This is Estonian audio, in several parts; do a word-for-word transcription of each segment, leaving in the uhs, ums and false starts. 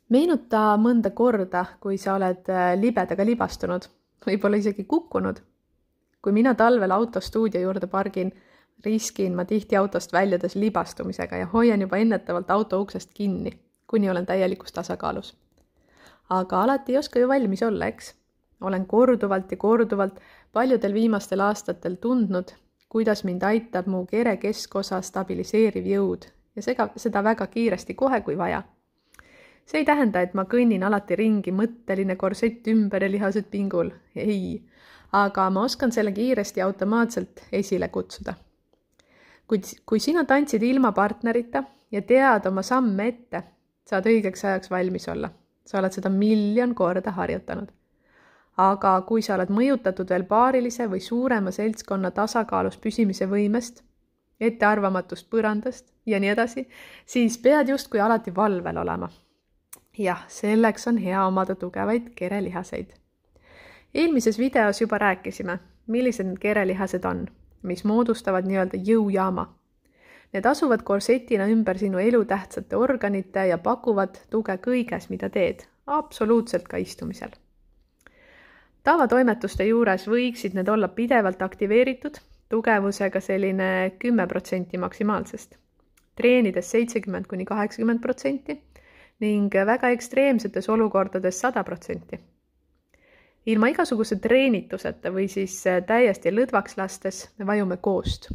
Meenuta mõnda korda, kui sa oled libedaga libastunud, võib-olla isegi kukkunud. Kui mina talvel auto stuudio juurde pargin, riskin ma tihti autost väljudes libastumisega ja hoian juba ennetavalt auto uksest kinni, kuni olen täielikus tasakaalus. Aga alati ei oska ju valmis olla, eks? Olen korduvalt ja korduvalt paljudel viimastel aastatel tundnud, kuidas mind aitab mu kere keskosa stabiliseeriv jõud ja sega, seda väga kiiresti kohe, kui vaja. See ei tähenda, et ma kõnnin alati ringi mõtteline korsett ümber ja lihased pingul. Ei, aga ma oskan selle kiiresti automaatselt esile kutsuda. Kui, kui sina tantsid ilma partnerita ja tead oma samme ette, saad õigeks ajaks valmis olla. Sa oled seda miljon korda harjutanud. Aga kui sa oled mõjutatud veel paarilise või suurema seltskonna tasakaalus püsimise võimest, ettearvamatust põrandast ja nii edasi, siis pead justkui alati valvel olema. Jah, selleks on hea omada tugevaid kerelihaseid. Eelmises videos juba rääkisime, millised need kerelihased on, mis moodustavad nii-öelda jõujaama. Need asuvad korsetina ümber sinu elutähtsate organite ja pakuvad tuge kõiges, mida teed, absoluutselt ka istumisel. Tavatoimetuste juures võiksid need olla pidevalt aktiveeritud, tugevusega selline kümme protsenti maksimaalsest. Treenides seitsekümmend kuni kaheksakümmend protsenti ning väga ekstreemsetes olukordades sada protsenti. Ilma igasuguse treenituseta või siis täiesti lõdvaks lastes me vajume koost.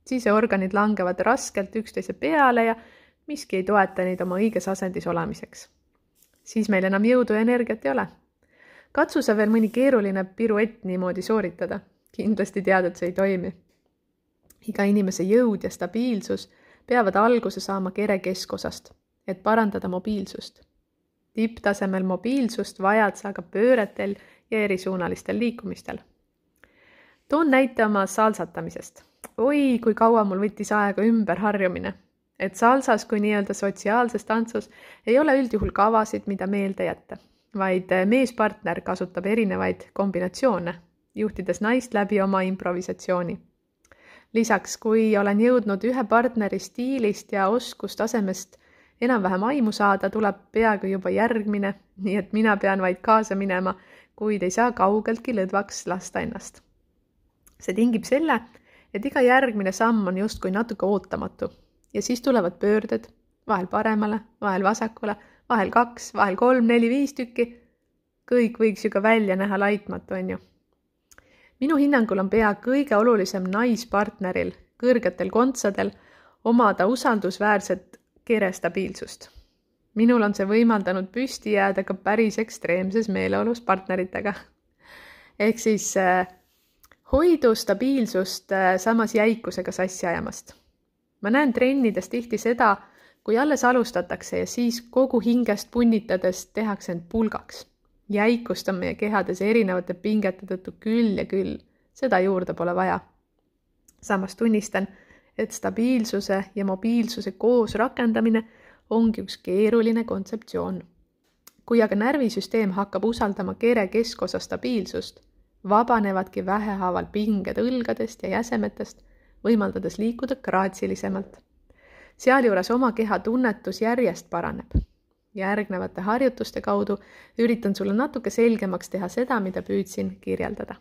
Siseorganid langevad raskelt üksteise peale ja miski ei toeta neid oma õiges asendis olemiseks. Siis meil enam jõudu ja energiat ei ole. Katsu sa veel mõni keeruline piruett niimoodi sooritada. Kindlasti tead, et see ei toimi. Iga inimese jõud ja stabiilsus peavad alguse saama kere keskosast, et parandada mobiilsust. Tipptasemel mobiilsust vajad sa ka pööretel ja erisuunalistel liikumistel. Toon näite oma salsatamisest. Oi, kui kaua mul võttis aega ümber harjumine. Et salsas kui nii-öelda sotsiaalses tantsus ei ole üldjuhul kavasid, mida meelde jätta, vaid meespartner kasutab erinevaid kombinatsioone, juhtides naist läbi oma improvisatsiooni. Lisaks, kui olen jõudnud ühe partneri stiilist ja oskustasemest enam-vähem aimu saada, tuleb peaaegu juba järgmine, nii et mina pean vaid kaasa minema, kuid ei saa kaugeltki lõdvaks lasta ennast. See tingib selle, et iga järgmine samm on justkui natuke ootamatu ja siis tulevad pöörded, vahel paremale, vahel vasakule, vahel kaks, vahel kolm, neli, viis tükki. Kõik võiks ju ka välja näha laitmatu, on ju. Minu hinnangul on pea kõige olulisem naispartneril, kõrgetel kontsadel, omada usaldusväärset kerestabiilsust. Minul on see võimaldanud püsti jääda ka päris ekstreemses meeleolus partneritega. Ehk siis äh, hoidu stabiilsust äh, samas jäikusega sassi ajamast. Ma näen trennides tihti seda, kui alles alustatakse ja siis kogu hingest punnitades tehakse end pulgaks. Jäikust on meie kehades erinevate pingete tõttu küll ja küll. Seda juurde pole vaja. Samas tunnistan, et stabiilsuse ja mobiilsuse koos rakendamine ongi üks keeruline kontseptsioon. Kui aga närvisüsteem hakkab usaldama kere keskosa stabiilsust, vabanevadki vähehaaval pinged õlgadest ja jäsemetest, võimaldades liikuda graatsilisemalt. Sealjuures oma keha tunnetus järjest paraneb. Järgnevate harjutuste kaudu üritan sulle natuke selgemaks teha seda, mida püüdsin kirjeldada.